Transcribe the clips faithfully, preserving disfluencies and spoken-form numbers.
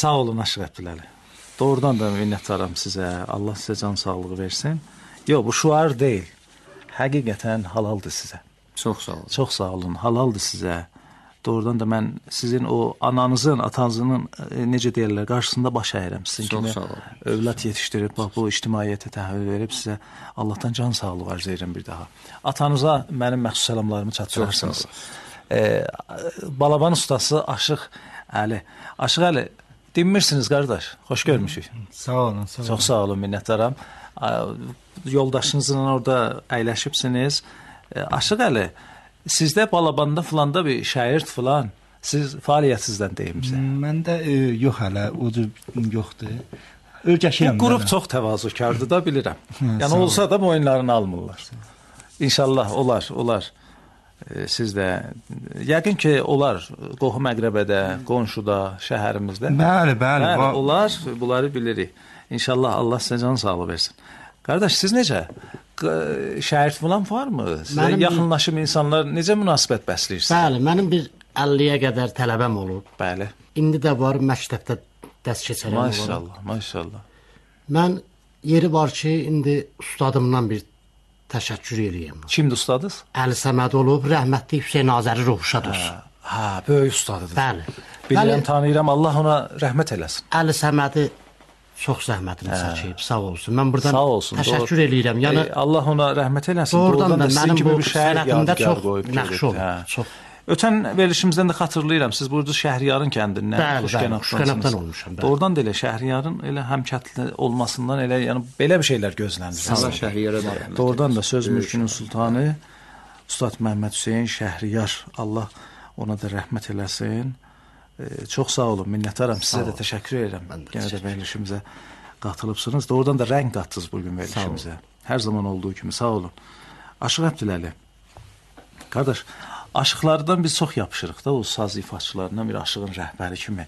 Sağ olun Aşıq Əbdüləli. Doğrudan da minnətdaram sizə. Allah sizə can sağlığı versin. Yox, bu şuar deyil. Həqiqətən halaldır sizə. Çox sağ olun. Çox sağ olun. Halaldır sizə. Doğrudan da mən sizin o ananızın, atanızın necə deyirlər, qarşısında baş əyirəm. Sizin kimi övlad yetişdirib, bax, bu ictimaiyyətə təhvil verib sizə Allahdan can sağlığı arz edirəm bir daha. Atanıza mənim məxsus səlamlarımı çatdırarsınız. E, Balaban ustası Aşıq Əli. Aşıq Əli, dinmirsiniz qardaş, xoş görmüşük. Sağ olun, sağ olun. Çox sağ olun, minnətdaram. Yoldaşınızla orada əyləşibsiniz. Aşıq Əli, sizdə Balabanda filanda bir şair filan, siz fəaliyyətsizdən deyimizə. Məndə e, yox hələ, o yoxdur. Öyrəşirəm. Bu qrup çox təvazökardır da bilirəm. Yəni olsa da boyunlarını almırlar. İnşallah olar, olar. E, siz də yəqin ki, olar qohum əqrəbədə, qonşuda, şəhərimizdə. Bəli, bəli. Bəli, olar, bunları bilirik. İnşallah Allah sizə can sağlığı versin. Qardaş, siz necə? Şəhid falan varmı? Sizə mənim yaxınlaşım bir... insanlar necə münasibət bəsləyirsiniz? Bəli, mənim bir əlliyə qədər tələbəm olub. Bəli. İndi də var, məktəbdə dərs keçərəm olur. Maşallah, maşallah. Mən yeri var ki, indi ustadımdan bir təşəkkür eləyəm. Kimdir ustadız? Əli Səməd olub, rəhmətli Hüseyn Azəri ruhşad olsun. Hə, böyük ustadıdır. Bəli. Bilirəm, tanıyıram, Allah ona rəhmət eləsin. Əli Səmədi çox zəhmətini çəkib, sağ olsun. Mən buradan sağ olsun, təşəkkür doğru. eləyirəm. Yəni e, Allah ona rəhmət eləsin. Doğrudan da sizin kimi bir şəhər sənətində çox qoyub, nəqş olub. hə. Çox. Ötən verilişimizdən də xatırlayıram, siz burada Şəhriyarın kəndindən, Xuşqənabdan olmuşam. Doğrudan da elə Şəhriyarın elə həmkətli olmasından elə, yəni belə bir şeylər gözlənir. Allah Şəhriyara da rəhmət. Doğrudan da söz mülkünün sultanı Ustad Məhəmməd Hüseyn Şəhriyar, Allah ona da rəhmət eləsin. E, çox sağ olun, minnətdaram. Sizə də təşəkkür edirəm. Yenə də verilişimizə qatılıbsınız. Doğrudan da rəng qatdınız bugün verilişimizə. Hər zaman olduğu kimi sağ olun. Aşıq Əbdüləli. Qardaş, aşıqlardan biz çox yapışırıq da, o saz ifaçılarından bir aşığın rəhbəri kimi.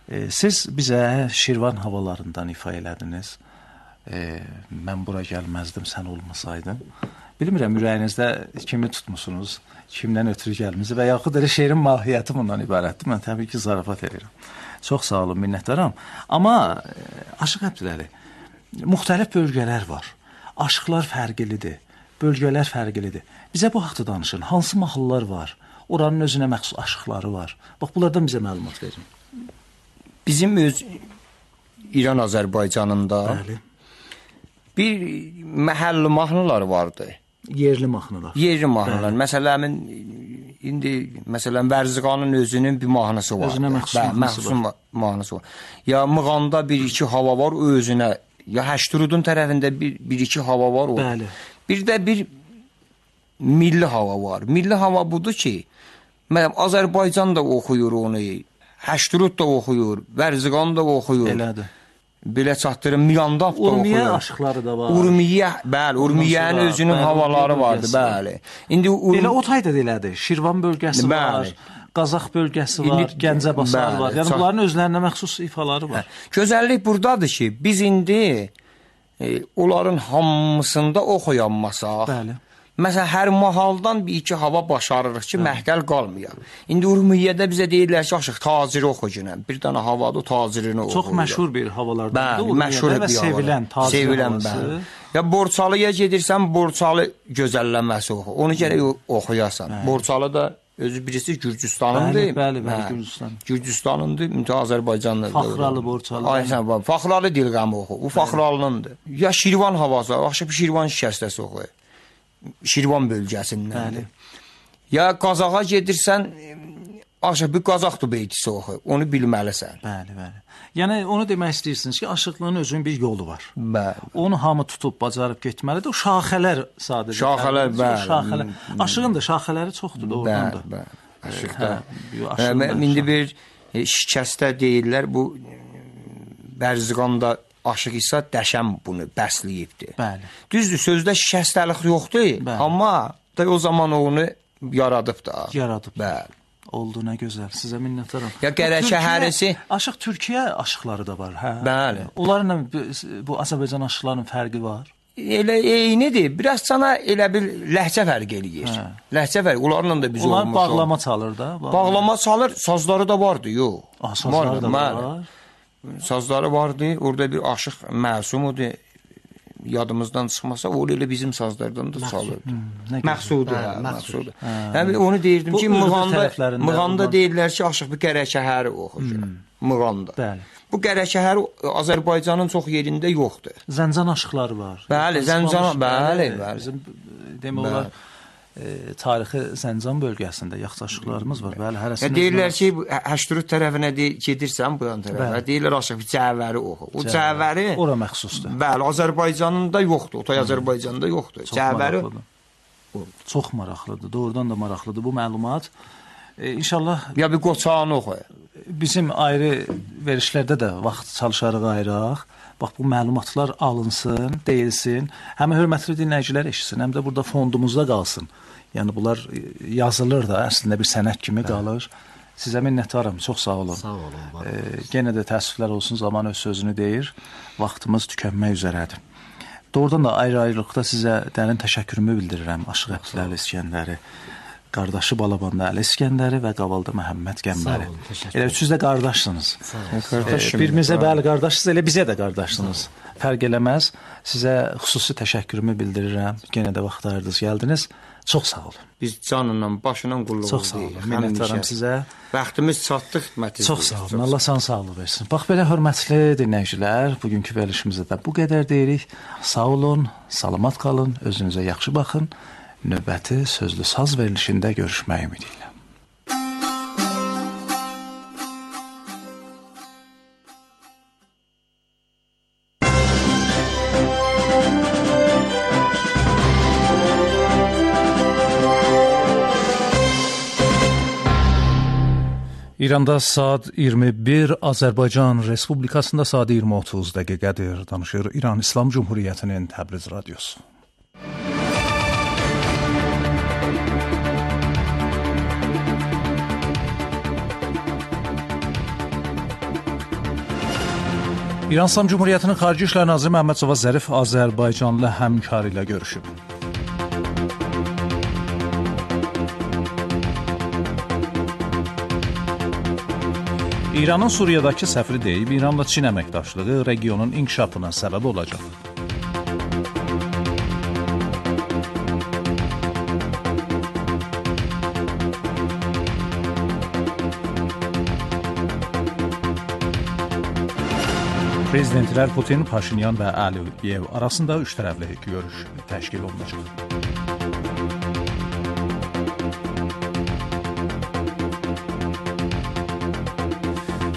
E, siz bizə Şirvan havalarından ifa elədiniz. E, mən bura gəlməzdim, sən olmasaydın. Bilmirəm, ürəyinizdə kimi tutmusunuz, kimdən ötürü gəlminiz və yaxud elə şeirin mahiyyəti bundan ibarətdir. Mən təbii ki, zarafat edirəm. Çox sağ olun, minnətdaram. Amma Aşıq Əbdüləli, müxtəlif bölgələr var. Aşıqlar fərqlidir, bölgələr fərqlidir. Bizə bu haqda danışın. Hansı mahallar var? Oranın özünə məxsus aşıqları var. Bax, bunlardan bizə məlumat verin. Bizim öz İran Azərbaycanında Bəli. bir məhəlli mahnılar vardı. Yerli mahnılar. Yerli mahnılar. Məsələn, indi məsələn Vərziqanın özünün bir mahnısı var. Özünə məxsus Bə, mahnısı məxsus var. mahnısı var. Ya Mığanda bir iki hava var o özünə. Ya Həşturudun tərəfində bir, bir iki hava var o. Bəli. Bir də bir milli hava var. Milli hava budur ki, məsələn Azərbaycan da oxuyur onu, Həşturud da oxuyur, Vərziqan da oxuyur. Elədir. Belə çatdırım, Mirandaf da oxuyur. Urmiyə aşıqları da var. Urmiyə, bəli, Urmiyənin özünün bəli, havaları vardı, bəli. İndi Urm... Elə o tayda da elədir. Şirvan bölgəsi bəli. Var, Qazax bölgəsi var, indi, Gəncəbasar bəli, var. Yəni çat... bunların özlərinə məxsus ifaları var. Hə. Gözəllik buradadır ki, biz indi e, onların hamısında oxuyanmasaq. Bəli. Məsələn, hər mahaldan bir iki hava başarırıq ki, məhqəl qalmıyor. İndi Urmiyyədə bizə deyirlər ki, aşıq, taciri oxucunəm. Bir dənə havada o tacirini oxuyur. Çox məşhur bir havalardan. Bəli, məşhur bir sevilən, taciri sevilən, bəli. Ya Borçalıya gedirsən, Borçalı gözəlləməsi oxu. Onu gərək oxuyasan. Bəli. Borçalı da özü birisi Gürcüstanındır. Bəli, bəli, bəli, Gürcüstan. Gürcüstanındır, mütə Azərbaycanlıdır. Faxralı Borçalı. Aysən, Faxralı dilqamı oxu. Bu Faxralınındır. Ya Şirvan havası, axşam Şirvan şikəstəsi oxuyur. Şirvan bölgəsindəndir. Ya Qazağa gedirsən, aşağı bir Qazaxdır beytisi oxu, onu bilməlisən. Bəli, bəli. Yəni, onu demək istəyirsiniz ki, aşıqlığın özünün bir yolu var. Bəli. Onu hamı tutub, bacarıb getməlidir. O şaxələr sadəcə. Şaxələr, bəli. Şaxələr. Aşığın da şaxələri çoxdur, doğrudan da. Bəli, bəli. Aşıqda. İndi bir şikəstə deyirlər, bu Vərziqanda aşıq isə dəşəm bunu bəsləyibdir. Bəli. Düzdür, sözdə şikəstəlik yoxdur, bəli. Amma da o zaman onu yaradıb da. Yaradıb. Bəli. Oldu, nə gözəl. Sizə minnətdaram. Ya Qərəşə hərisi... Aşıq Türkiyə aşıqları da var, hə? Bəli. Onlarla bu Azərbaycan aşıqlarının fərqi var. Elə eynidir. Biraz sana elə bir ləhcə fərq eləyir. Hə. Ləhcə fərq. Onlarla da biz olmuşuq. Onlar bağlama çalır da. Bağlama, bağlama çalır, sazları da vardı, yox. Ah, sazları da var. sazları vardı. Orada bir Aşıq Məsum idi. Yadımızdan çıxmasa, o elə bizim sazlardan da çalırdı. Məqsudu, Məqsudu. Yəni onu deyirdim ki, Mığanda, Mığanda deyirlər ki, Aşıq bir qərəkəhəri oxuyur. Mığanda. Bəli. Bu qərəkəhəri Azərbaycanın çox yerində yoxdur. Zəncan aşıqları var. Bəli, Zəncan, bəli, bəli. Bizim demək olar E, tarixi Zəncan bölgəsində yaxşı aşıqlarımız var. Bəli, hərəsində. Deyirlər ki, Həştrut tərəfinə gedirsən bu yan tərəfə. Deyirlər Aşıq bir cəvəri oxu. O cəvəri ora məxsusdur. Bəli, Azərbaycanın da yoxdur. Otay Azərbaycanda yoxdur. Cəvəri çox maraqlıdır. Doğrudan da maraqlıdır bu məlumat. E, İnşallah ya bir Qoçağını oxu. Bizim ayrı verişlərdə də vaxt çalışarıq ayıraq. Bax, bu məlumatlar alınsın, deyilsin. Həm hörmətli dinləyicilər eşitsin, həm də burada fondumuzda qalsın. Yəni, bunlar yazılır da, əslində bir sənət kimi qalır. Sizə minnətdaram, çox sağ olun. Sağ olun. E, Genə də təəssüflər olsun, zaman öz sözünü deyir. Vaxtımız tükənmək üzrədir. Doğrudan da ayrı-ayrılıqda sizə dərin təşəkkürümü bildirirəm. Aşıq Əbdüləli İskəndəri, qardaşı Balabanlı Əli İskəndəri və Qavalda Məhəmməd Qəmbəri. Elə üçünüz də qardaşsınız. E, birimizə bəli qardaşsınız, elə bizə də qardaşsınız. Fərq eləməz. Sizə xüsusi təşəkkürümü bildirirəm. Genə də vaxt ayırdınız, gəldiniz. Çox sağ olun. Biz canla, başla qulluğumuz Çox sağ olun. Minnətdaram sizə. Vaxtımız çatdı, xidmətiniz. Çox sağ olun. Allah sana sağlıq versin. Bax, belə hörmətli dinləyicilər, bugünkü verilişimizdə də bu qədər deyirik. Sağ olun, salamat qalın, özünüzə yaxşı baxın. Növbəti sözlü saz verilişində görüşmək ümidi ilə. İranda saat iyirmi bir, Azərbaycan Respublikasında saat iyirmi otuz dəqiqədir. Danışır İran İslam Cumhuriyyətinin Təbriz radiosu. İran İslam Cumhuriyyətinin Xarici İşlər Naziri Məhəmməd Cavad Zərif Azərbaycanlı həmkarı ilə görüşüb. İranın Suriyadakı səfiri deyib, İranla Çin əməkdaşlığı regionun inkişafına səbəb olacaq. Prezidentlər Putin, Paşinyan və Əliyev arasında üç tərəfli görüş təşkil olunacaq.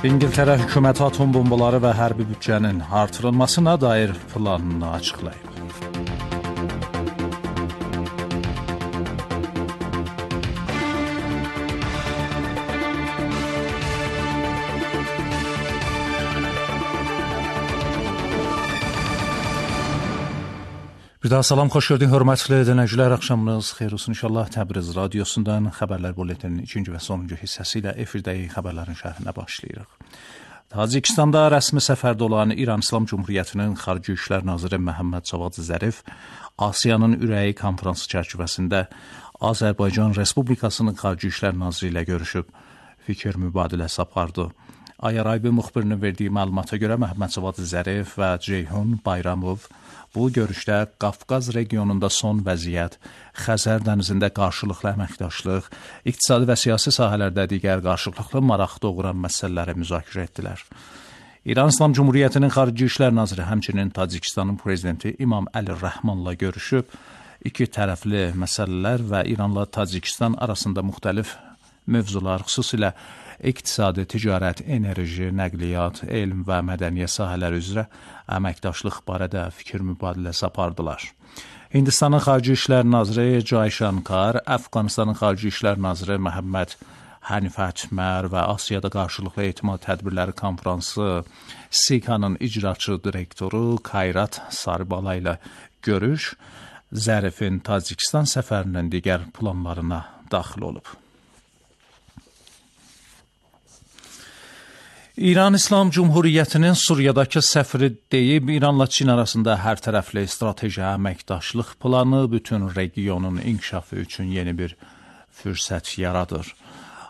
İngiltərə hökuməti atom bombaları və hərbi büdcənin artırılmasına dair planını açıqlayıb. Bir daha salam, xoş gördük, hörmətli dinləyicilər, axşamınız xeyir olsun inşallah. Təbriz radiosundan xəbərlər buletinin ikinci və sonuncu hissəsi ilə efirdəyi xəbərlərin şərhinə başlayırıq. Tacikistanda rəsmi səfərdə olan İran İslam Cumhuriyyətinin Xarici İşlər Naziri Məhəmməd Cavad Zərif Asiyanın ürəyi konfransı çərçivəsində Azərbaycan Respublikasının Xarici İşlər Naziri ilə görüşüb, fikir mübadiləsi apardı. Ayaraybi müxbirinin verdiyi məlumata görə Məhəmməd Cavad Zərif və Ceyhun Bayramov bu görüşdə Qafqaz regionunda son vəziyyət, Xəzər dənizində qarşılıqlı əməkdaşlıq, iqtisadi və siyasi sahələrdə digər qarşılıqlı maraq doğuran məsələləri müzakirə etdilər. İran İslam Cumhuriyyətinin Xarici İşlər Naziri həmçinin Tacikistanın prezidenti İmam Əli Rəhmanla görüşüb, iki tərəfli məsələlər və İranla Tacikistan arasında müxtəlif mövzular, xüsusilə iqtisadi, ticarət, enerji, nəqliyyat, elm və mədəniyyət sahələri üzrə əməkdaşlıq barədə fikir mübadiləsi apardılar. Hindistanın Xarici İşlər Naziri Cay Shankar, Əfqanistanın Xarici İşlər Naziri Məhəmməd Hənifət Mər və Asiyada qarşılıqlı etimad tədbirləri konfransı SİKA-nın icraçı direktoru Kayrat Saribala ilə görüş, Zərifin Tacikistan səfərinin digər planlarına daxil olub. İran İslam Cumhuriyyətinin Suriyadakı səfiri deyib, İranla Çin arasında hər tərəfli strateji əməkdaşlıq planı bütün regionun inkişafı üçün yeni bir fürsət yaradır.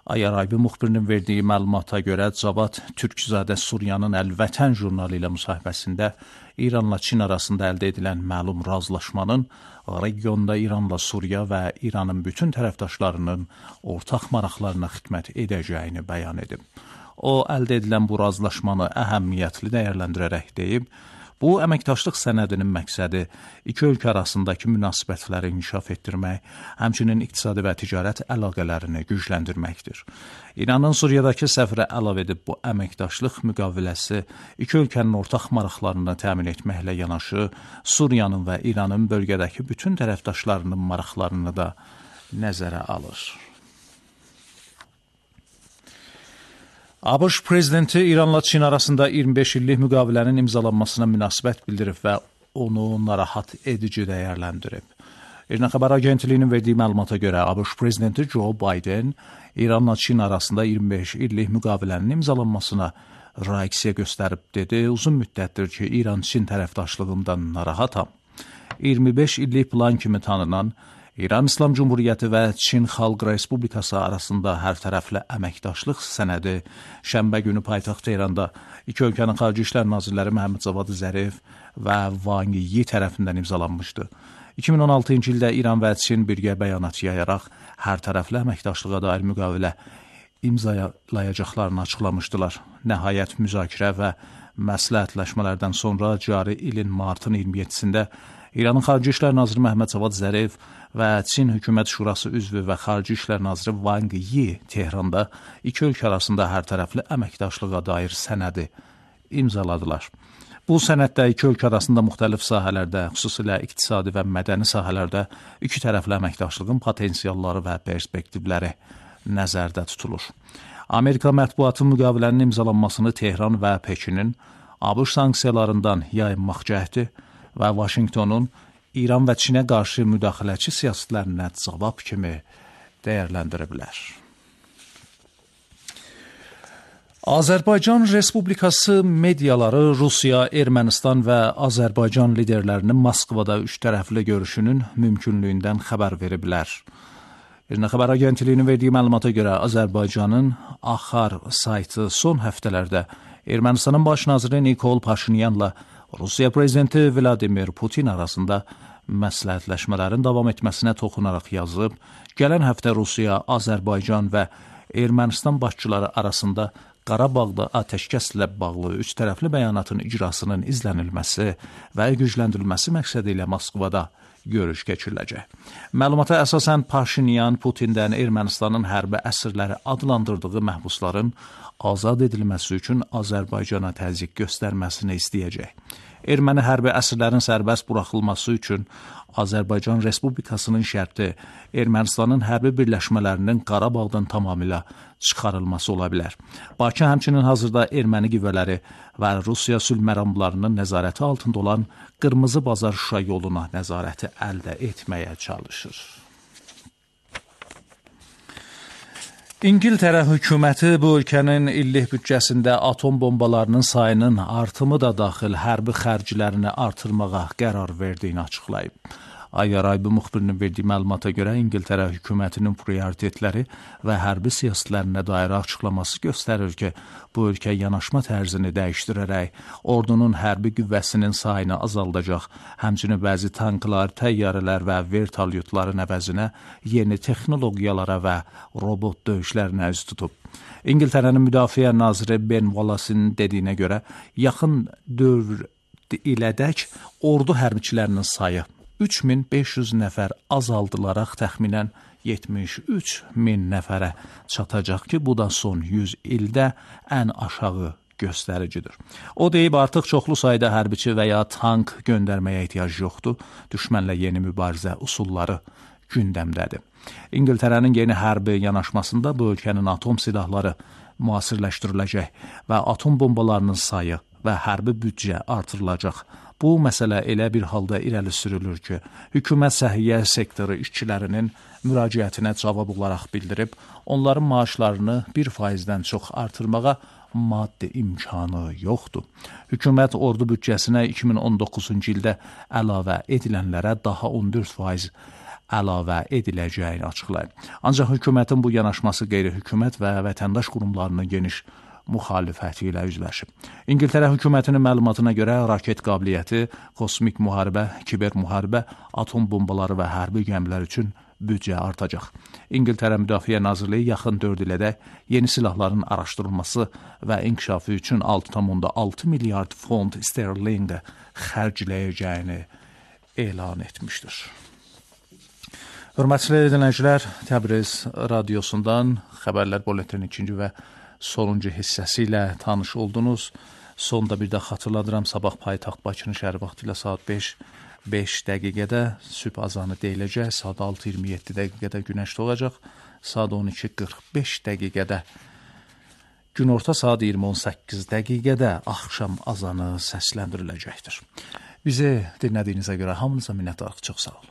Ayaraybi müxbirinin verdiyi məlumata görə Cavad Türkzadə Suriyanın Əl-Vətən jurnalı ilə müsahibəsində İranla Çin arasında əldə edilən məlum razılaşmanın regionda İranla Suriya və İranın bütün tərəfdaşlarının ortaq maraqlarına xidmət edəcəyini bəyan edib. O, əldə edilən bu razılaşmanı əhəmiyyətli dəyərləndirərək deyib, bu əməkdaşlıq sənədinin məqsədi iki ölkə arasındakı münasibətləri inkişaf etdirmək, həmçinin iqtisadi və ticarət əlaqələrini gücləndirməkdir. İranın Suriyadakı səfiri əlavə edib, bu əməkdaşlıq müqaviləsi iki ölkənin ortaq maraqlarını təmin etməklə yanaşı, Suriyanın və İranın bölgədəki bütün tərəfdaşlarının maraqlarını da nəzərə alır. ABŞ prezidenti İranla Çin arasında iyirmi beş illik müqavilənin imzalanmasına münasibət bildirib və onu narahat edici dəyərləndirib. İran xəbər agentliyinin verdiyi məlumata görə ABŞ prezidenti Joe Biden İranla Çin arasında iyirmi beş illik müqavilənin imzalanmasına reaksiya göstərib dedi. Uzun müddətdir ki, İran-Çin tərəfdaşlığından narahatam. iyirmi beş illik plan kimi tanınan İran İslam Cumhuriyyəti və Çin Xalq Respublikası arasında hərtərəfli əməkdaşlıq sənədi şənbə günü paytaxt Tehranda iki ölkənin Xarici İşlər Nazirləri Məhəmməd Cavad Zərif və Wang Yi tərəfindən imzalanmışdı. iki min on altıncı ildə İran və Çin birgə bəyanat yayaraq hərtərəfli əməkdaşlığa dair müqavilə imzalayacaqlarını açıqlamışdılar. Nəhayət müzakirə və məsləhətləşmələrdən sonra cari ilin martın iyirmi yeddisində İranın Xarici İşlər Naziri Məhəmməd Cavad Zərif və Çin Hökumət Şurası üzvü və Xarici İşlər Naziri Wang Yi Tehranda iki ölkə arasında hərtərəfli əməkdaşlığa dair sənədi imzaladılar. Bu sənəddə iki ölkə arasında müxtəlif sahələrdə, xüsusilə iqtisadi və mədəni sahələrdə iki tərəfli əməkdaşlığın potensialları və perspektivləri nəzərdə tutulur. Amerika mətbuatı müqavilənin imzalanmasını Tehran və Pekinin ABŞ sanksiyalarından yayınmaq cəhdi və Vaşinqtonun İran və Çinə qarşı müdaxiləçi siyasətlərinə cavab kimi dəyərləndiriblər. Azərbaycan Respublikası mediaları Rusiya, Ermənistan və Azərbaycan liderlərinin Moskvada üç tərəfli görüşünün mümkünlüyündən xəbər veriblər. İran xəbər agentliyinin verdiyi məlumata görə Azərbaycanın Axar saytı son həftələrdə Ermənistanın baş naziri Nikol Paşinyanla Rusiya prezidenti Vladimir Putin arasında məsləhətləşmələrin davam etməsinə toxunaraq yazıb, gələn həftə Rusiya, Azərbaycan və Ermənistan başçıları arasında Qarabağda atəşkəslə bağlı üç tərəfli bəyanatın icrasının izlənilməsi və gücləndirilməsi məqsədi ilə Moskvada görüş keçiriləcək. Məlumata əsasən Paşinyan Putindən Ermənistanın hərbi əsirləri adlandırdığı məhbusların azad edilməsi üçün Azərbaycana təzyiq göstərməsini istəyəcək. Erməni hərbi əsirlərin sərbəst buraxılması üçün Azərbaycan Respublikasının şərti Ermənistanın hərbi birləşmələrinin Qarabağdan tamamilə çıxarılması ola bilər. Bakı həmçinin hazırda erməni qüvvələri və Rusiya sülh məramlarının nəzarəti altında olan Qırmızı Bazar Şuşa yoluna nəzarəti əldə etməyə çalışır. İngiltərə hökuməti bu ölkənin illik büdcəsində atom bombalarının sayının artımı da daxil hərbi xərclərini artırmağa qərar verdiyini açıqlayıb. Ayaraybi müxbirinin verdiyi məlumata görə İngiltərə hökumətinin prioritetləri və hərbi siyasətlərinə dair açıqlaması göstərir ki, bu ölkə yanaşma tərzini dəyişdirərək ordunun hərbi qüvvəsinin sayını azaldacaq, həmçinin bəzi tanklar, təyyarələr və vertolyotların əvəzinə yeni texnologiyalara və robot döyüşlərinə üz tutub. İngiltərənin müdafiə naziri Ben Wallace'in dediyinə görə, yaxın dövr ilədək ordu hərbiçilərinin sayı üç min beş yüz nəfər azaldılaraq təxminən yetmiş üç min nəfərə çatacaq ki, bu da son yüz ildə ən aşağı göstəricidir. O deyib, artıq çoxlu sayda hərbiçi və ya tank göndərməyə ehtiyac yoxdur, düşmənlə yeni mübarizə usulları gündəmdədir. İngiltərənin yeni hərbi yanaşmasında bu ölkənin atom silahları müasirləşdiriləcək və atom bombalarının sayı və hərbi büdcə artırılacaq. Bu məsələ elə bir halda irəli sürülür ki, hökumət səhiyyə sektoru işçilərinin müraciətinə cavab olaraq bildirib, onların maaşlarını bir faizdən çox artırmağa maddi imkanı yoxdur. Hökumət ordu büdcəsinə iki min on doqquzuncu ildə əlavə edilənlərə daha on dörd faiz əlavə ediləcəyini açıqlayıb. Ancaq hökumətin bu yanaşması qeyri-hökumət və vətəndaş qurumlarının geniş müxalifəti ilə üzləşib. İngiltərə hökumətinin məlumatına görə raket qabiliyyəti, kosmik müharibə, kiber müharibə, atom bombaları və hərbi gəmilər üçün büdcə artacaq. İngiltərə Müdafiə Nazirliyi yaxın dörd ilədək yeni silahların araşdırılması və inkişafı üçün altı tam altı milyard fond sterlinqə xərcləyəcəyini elan etmişdir. Hörmətli dinləyicilər, Təbriz radiosundan xəbərlər bulletinin ikinci və sonuncu hissəsi ilə tanış oldunuz. Sonda bir də xatırladıram, sabah paytaxt Bakının şəhər vaxtı ilə saat beş beş dəqiqədə sübh azanı deyiləcək, saat altı iyirmi yeddi dəqiqədə günəş doğacaq, saat on iki qırx beş dəqiqədə günorta, saat iyirmi on səkkiz dəqiqədə axşam azanı səsləndiriləcəkdir. Bizi dinlədiyinizə görə hamınıza minnətdarıq, çox sağ olun.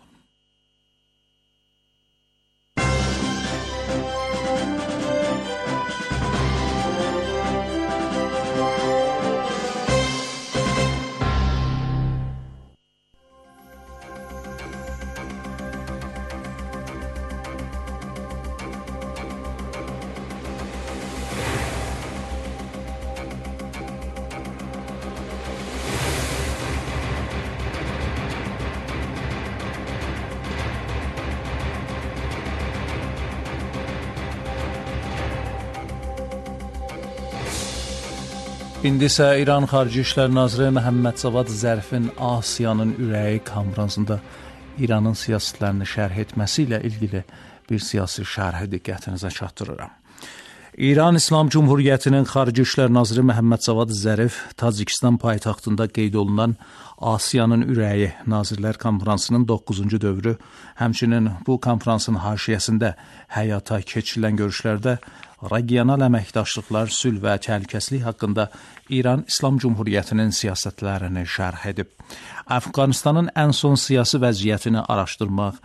İndi isə İran Xarici İşlər Naziri Məhəmməd Cavad Zərifin Asiyanın ürəyi konfransında İranın siyasətlərini şərh etməsi ilə ilgili bir siyasi şərhi diqqətinizə çatdırıram. İran İslam Cumhuriyyətinin Xarici İşlər Naziri Məhəmməd Cavad Zərif Tacikistan paytaxtında qeyd olunan Asiyanın ürəyi Nazirlər Konfransının doqquzuncu dövrü, həmçinin bu konfransın haşiyəsində həyata keçirilən görüşlərdə regional əməkdaşlıqlar, sülh və təhlükəsizlik haqqında İran İslam Cumhuriyyətinin siyasətlərini şərh edib. Əfqanistanın ən son siyasi vəziyyətini araşdırmaq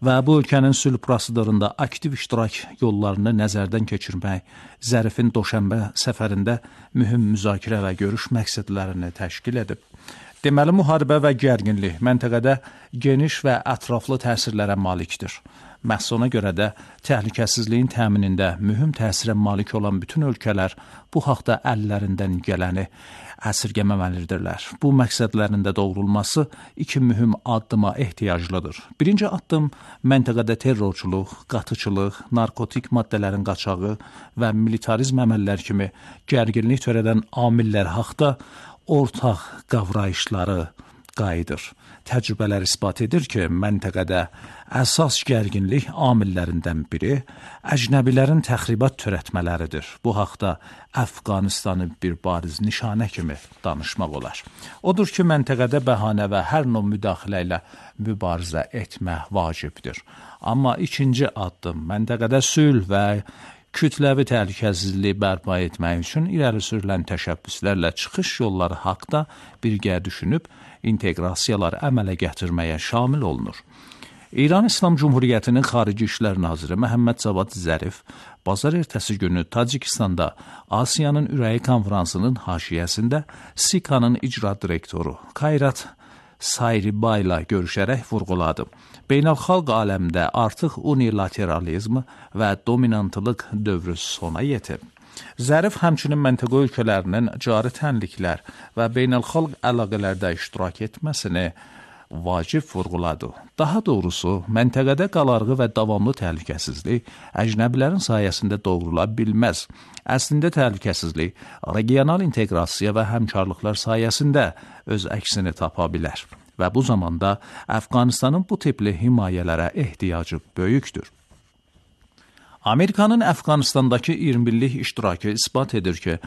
və bu ölkənin sülh prosedurunda aktiv iştirak yollarını nəzərdən keçirmək Zərifin Doşənbə səfərində mühüm müzakirə və görüş məqsədlərini təşkil edib. Deməli, müharibə və gərginlik məntəqədə geniş və ətraflı təsirlərə malikdir. Məhz ona görə də təhlükəsizliyin təminində mühüm təsirə malik olan bütün ölkələr bu haqda əllərindən gələni əsirgəməməlidirlər. Bu məqsədlərində doğrulması iki mühüm addıma ehtiyaclıdır. Birinci addım məntəqədə terrorçuluq, qatıçılıq, narkotik maddələrin qaçağı və militarizm əməllər kimi gərginlik törədən amillər haqda ortaq qavrayışları qayıdır. Təcrübələr isbat edir ki, məntəqədə əsas gərginlik amillərindən biri əcnəbilərin təxribat törətmələridir. Bu haqda Əfqanistanı bir bariz nişanə kimi danışmaq olar. Odur ki, məntəqədə bəhanə və hər növ müdaxilə ilə mübarizə etmək vacibdir. Amma ikinci addım məntəqədə sülh və kütləvi təhlükəsizliyi bərpa etmək üçün irəli sürülən təşəbbüslərlə çıxış yolları haqda birgə düşünüb inteqrasiyalar əmələ gətirməyə şamil olunur. İran İslam Cumhuriyyətinin Xarici İşlər Naziri Məhəmməd Cavad Zərif bazar ertəsi günü Tacikistanda Asiyanın ürəyi konfransının haşiyəsində SİKA-nın icra direktoru Kayrat Sayribay ilə görüşərək vurğuladı. Beynəlxalq aləmdə artıq unilateralizm və dominantlıq dövrü sona yetib. Zərif həmçinin məntəqə ölkələrinin cari tənliklər və beynəlxalq əlaqələrdə iştirak etməsini vacib vurğuladı. Daha doğrusu, məntəqədə qalarğı və davamlı təhlükəsizlik əcnəbilərin sayəsində doğrula bilməz. Əslində təhlükəsizlik regional inteqrasiya və həmkarlıqlar sayəsində öz əksini tapa bilər və bu zamanda Əfqanistanın bu tipli himayələrə ehtiyacı böyükdür. Amerikanın Əfqanistandakı iyirmi illik iştirakı isbat edir ki,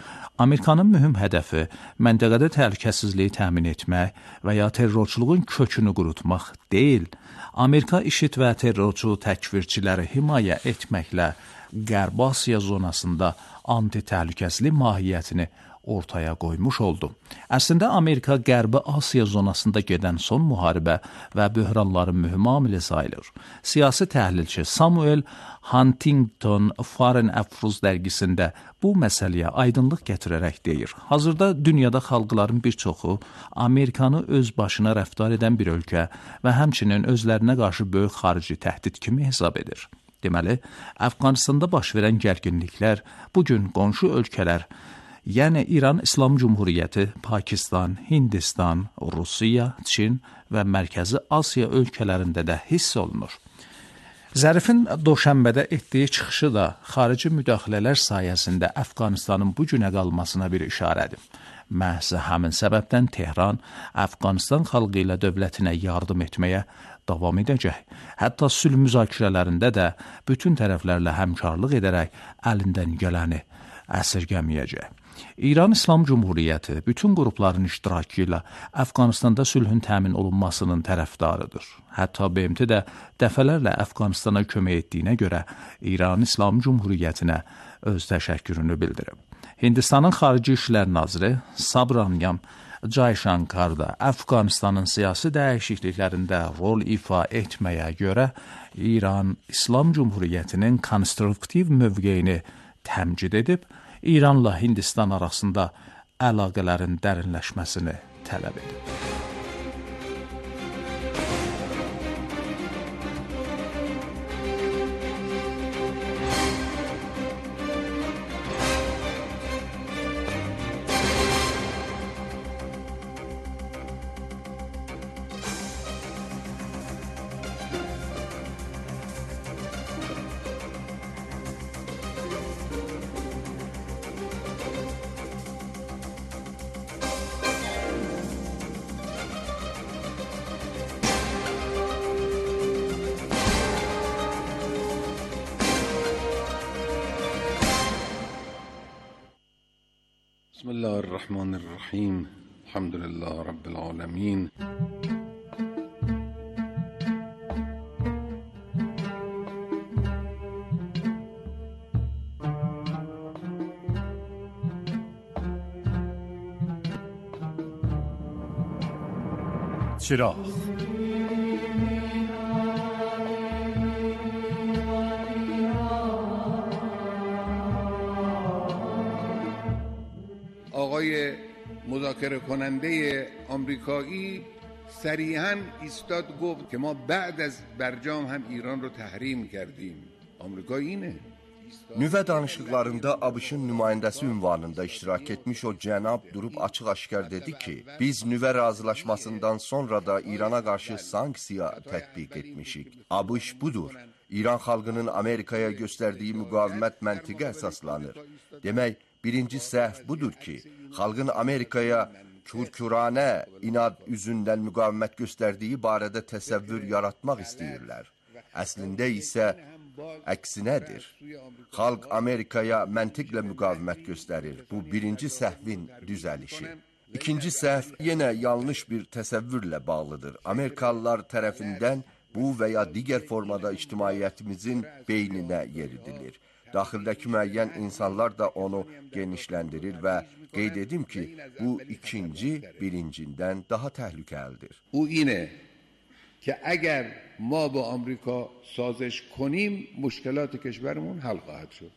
Amerikanın mühüm hədəfi məntəqədə təhlükəsizliyi təmin etmək və ya terrorçuluğun kökünü qurutmaq deyil, Amerika IŞİD və terrorçu təkvirçiləri himayə etməklə Qərb Asiya zonasında anti-təhlükəsizlik mahiyyətini ortaya qoymuş oldu. Əslində Amerika Qərbi Asiya zonasında gedən son müharibə və böhranların mühüm amili sayılır. Siyasi təhlilçi Samuel Huntington Foreign Affairs dərgisində bu məsələyə aydınlıq gətirərək deyir. Hazırda dünyada xalqların bir çoxu Amerikanı öz başına rəftar edən bir ölkə və həmçinin özlərinə qarşı böyük xarici təhdid kimi hesab edir. Deməli, Əfqanistanda baş verən gərginliklər bugün qonşu ölkələr, yəni İran İslam Cumhuriyyəti, Pakistan, Hindistan, Rusiya, Çin və Mərkəzi Asiya ölkələrində də hiss olunur. Zərifin Doşənbədə etdiyi çıxışı da xarici müdaxilələr sayəsində Əfqanistanın bu günə qalmasına bir işarədir. Məhz həmin səbəbdən Tehran Əfqanistan xalqı ilə dövlətinə yardım etməyə davam edəcək. Hətta sülh müzakirələrində də bütün tərəflərlə həmkarlıq edərək əlindən gələni əsirgəməyəcək. İran İslam Cumhuriyyəti bütün qrupların iştirakı ilə Əfqanistanda sülhün təmin olunmasının tərəfdarıdır. Hətta B M T də dəfələrlə Əfqanistana kömək etdiyinə görə İran İslam Cumhuriyyətinə öz təşəkkürünü bildirib. Hindistanın Xarici İşlər Naziri Sabramyan Jayshankar da Əfqanistanın siyasi dəyişikliklərində rol ifa etməyə görə İran İslam Cumhuriyyətinin konstruktiv mövqeyini təmcid edib, İranla Hindistan arasında əlaqələrin dərinləşməsini tələb edib. بسم الله الرحمن الرحیم الحمد لله رب العالمین چراغ آقای مذاکره کننده آمریکایی صریحاً ایستاد گفت که ما بعد از برجام هم ایران رو تحریم کردیم. آمریکا اینه. Nüvə danışıqlarında ABŞ-ın nümayəndəsi ünvanında iştirak etmiş o cənab durub açıq-aşkar dedi ki, biz nüvə razılaşmasından sonra da İrana qarşı sanksiya tətbiq etmişik. ABŞ budur. İran xalqının Amerikaya göstərdiyi müqavimət məntiqə əsaslanır. Demək, birinci səhv budur ki, xalqın Amerikaya kürküranə inad üzündən müqavimət göstərdiyi barədə təsəvvür yaratmaq istəyirlər. Əslində isə əksinədir. Xalq Amerikaya məntiqlə müqavimət göstərir. Bu birinci səhvin düzəlişi. İkinci səhv yenə yanlış bir təsəvvürlə bağlıdır. Amerikalılar tərəfindən bu və ya digər formada ictimaiyyətimizin beyninə yeridilir. Daxildəki müəyyən insanlar da onu genişləndirir və qeyd edim ki, bu ikinci birincindən daha təhlükəlidir. O اینه که اگر ما با آمریکا سازش کنیم مشکلات کشورمون حل خواهد شد.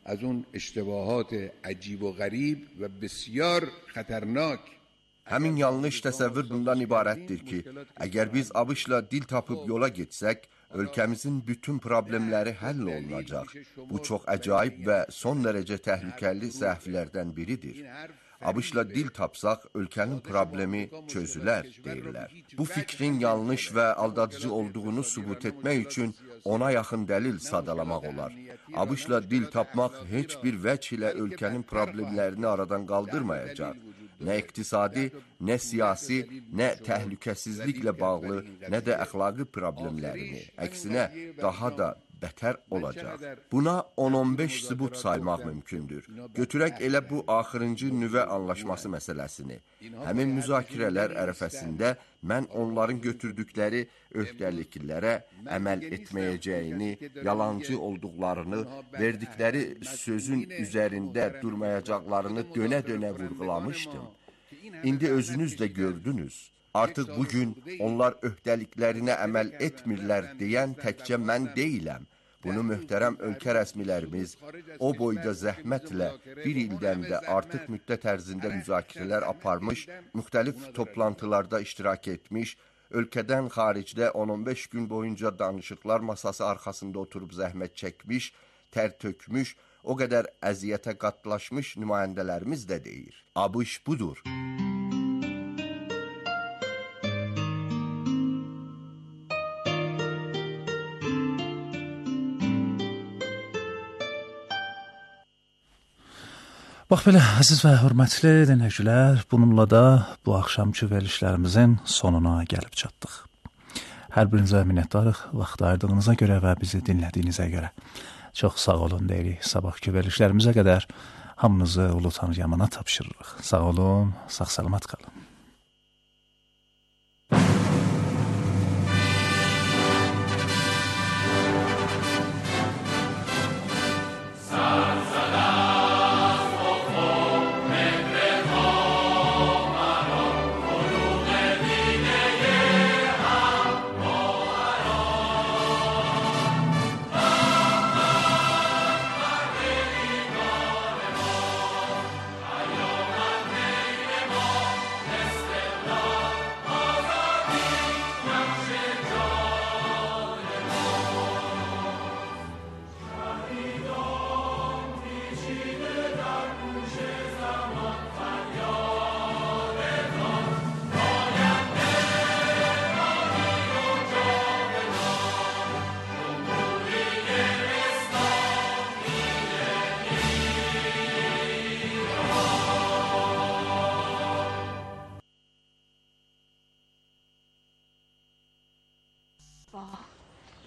از اون اشتباهات عجیب و غریب و بسیار خطرناک. Həmin yanlış təsəvvür bundan ibarətdir ki, əgər biz ABŞ-la dil tapıb yola getsək, ölkəmizin bütün problemləri həll olunacaq. Bu çox əcaib və son dərəcə təhlükəli səhvlərdən biridir. ABŞ-la dil tapsaq, ölkənin problemi çözülər, deyirlər. Bu fikrin yanlış və aldadıcı olduğunu sübut etmək üçün ona yaxın dəlil sadalamaq olar. ABŞ-la dil tapmaq heç bir vəc ilə ölkənin problemlərini aradan qaldırmayacaq. Nə iqtisadi, nə siyasi, nə təhlükəsizliklə bağlı, nə də əxlaqi problemlərini, əksinə daha da bətər olacaq. Buna on on beş sübut saymaq mümkündür. Götürək elə bu axırıncı nüvə anlaşması məsələsini. Həmin müzakirələr ərəfəsində mən onların götürdükləri öhdəliklərə əməl etməyəcəyini, yalancı olduqlarını, verdikləri sözün üzərində durmayacaqlarını dönə-dönə vurğulamışdım. İndi özünüz də gördünüz. Artıq bugün onlar öhdəliklərinə əməl etmirlər deyən təkcə mən deyiləm. Bunu möhtərəm ölkə rəsmilərimiz o boyda zəhmətlə bir ildən də artıq müddət ərzində müzakirələr aparmış, müxtəlif toplantılarda iştirak etmiş, ölkədən xaricdə on on beş gün boyunca danışıqlar masası arxasında oturub zəhmət çəkmiş, tər tökmüş, o qədər əziyyətə qatlaşmış nümayəndələrimiz də deyir. ABŞ budur. Bax belə, əziz və hörmətli dinləyicilər, bununla da bu axşamki verilişlərimizin sonuna gəlib çatdıq. Hər birinizə minnətdarıq vaxt ayırdığınıza görə və bizi dinlədiyinizə görə. Çox sağ olun deyirik. Sabahki verilişlərimizə qədər hamınızı Ulu Tanrı Yamana tapşırırıq. Sağ olun, sağ-salamat qalın.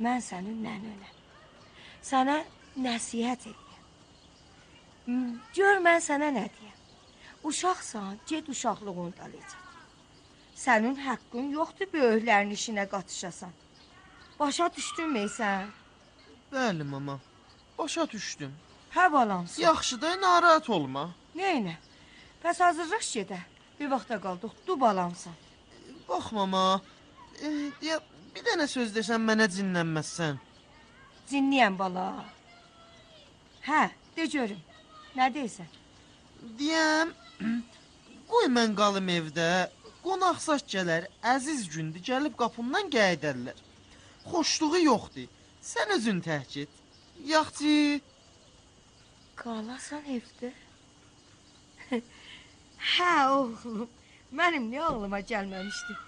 Mən sənin nənənəm. Sənə nəsihət edəyəm. Gör mən sənə nə deyəm. Uşaqsan, get uşaqlığını da lecək. Sənin haqqın yoxdur böyüklərin işinə qatışasan. Başa düşdün meysən? Bəli, mama. Başa düşdüm. Hə balamsın. Yaxşı da, narahat olma. Neynə? Bəs hazırlaş gedə. Bir vaxta qaldıq, du balamsan. Bax, mama. E, ya... Bir dənə söz desən, mənə cinlənməzsən. Cinləyəm, bala. Hə, de görüm. Nə deyirsən? Deyəm, qoy mən qalım evdə, qonaq-saç gələr, əziz gündür, gəlib qapımdan gəydərlər. Xoşluğu yoxdur, sən özün təhk et. Yaxçı. Qalasan evdə? Hə, oğlum, mənim nə ağlıma gəlməmişdi.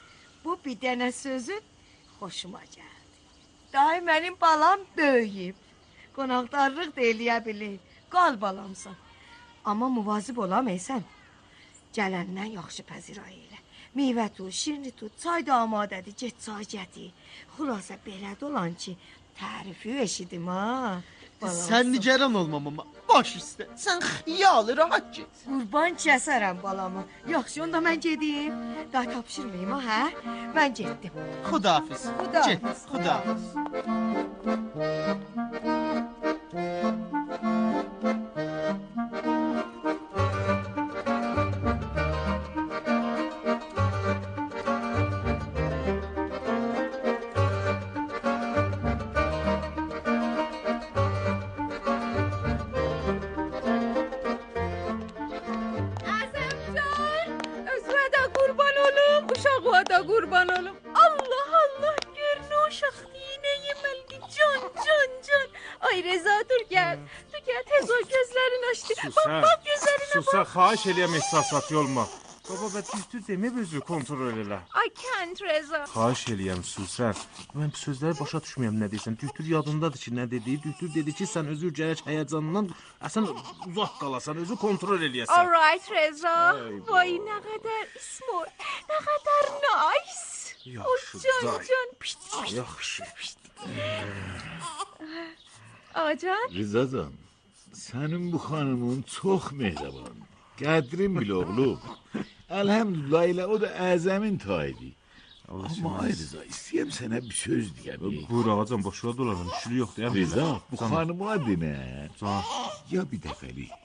Bu bir dənə sözün xoşuma gəldi. Dahi mənim balam böyüyüb. Qonaqdarlıq da eləyə bilir. Qal balamsan. Amma muvazib olamıysan. Gələndən yaxşı pəzirayı elə. Meyvə tut, şirini tut, çay da amadədir, get çay gətir. Xulasa belə dolan ki, tərifi eşidim ha. Balamsan. Sən nigaran olma mama. Baş üstə. Sən xiyalı rahat get. Qurban kəsərəm balamı. Yaxşı, onda mən gedim. Daha tapşırmayayım ha, hə? Mən getdim. Xudahafiz. Xudahafiz. Get, xudahafiz. Qurban olum. Allah Allah, gör nə uşaq yine yeməlidir. Can, can, can. Ay Reza, dur gəl. Dur gəl, tez ol, gözlərini açdı. Bak, bak gözlərinə bak. Susa, xahiş eləyəm ehsasat yolma. Baba, bə düzdür demə özü kontrol elə. I can't Reza. Xahiş eləyəm Susa. Mən bu sözləri başa düşməyəm nə deyirsən. Düzdür yadındadır ki, nə dediyi. Düzdür dedi ki, sən özü gərək həyəcanından əsən uzaq qalasan, özü kontrol eləyəsən. All right Reza. Vay, nə qədər smart, nə qədər nice. Yaxşı, can, can. Pişt, pişt, yaxşı. Pişt. Ağacan. Rızacan, senin bu hanımın çok mehriban. Qədrin bil oğlum. Elhamdülillah ile o da əzəmin tayidi. Ama ay Rıza, istəyəm sənə bir söz deyəm. Buyur ağacan, boşuna dolanın, işli yoxdur. Rıza, bu hanıma dinə. Can. Ya bir dəfəlik